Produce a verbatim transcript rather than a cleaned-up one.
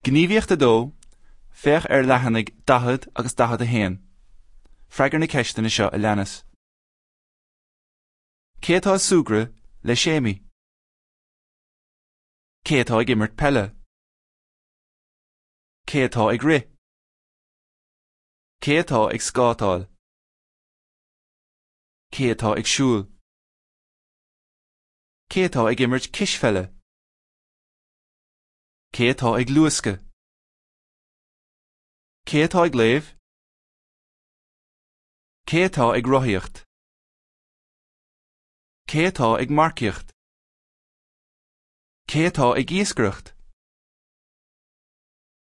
Gníomhaíocht a dó, Féach ar leathanaigh daichead agus daichead a haon. Freagair na ceisteanna seo a leanas. Cé atá ag súgradh le Séimí? Cé atá ag imirt peile? Cé atá ag rith? Cé atá ag scátáil? Cé atá ag siúl? Cé atá ag imirt cispheile? Cé atá ag luascadh? Cé atá ag léamh? Cé atá ag rothaíocht? Cé atá ag marcaíocht? Cé atá ag iascaireacht?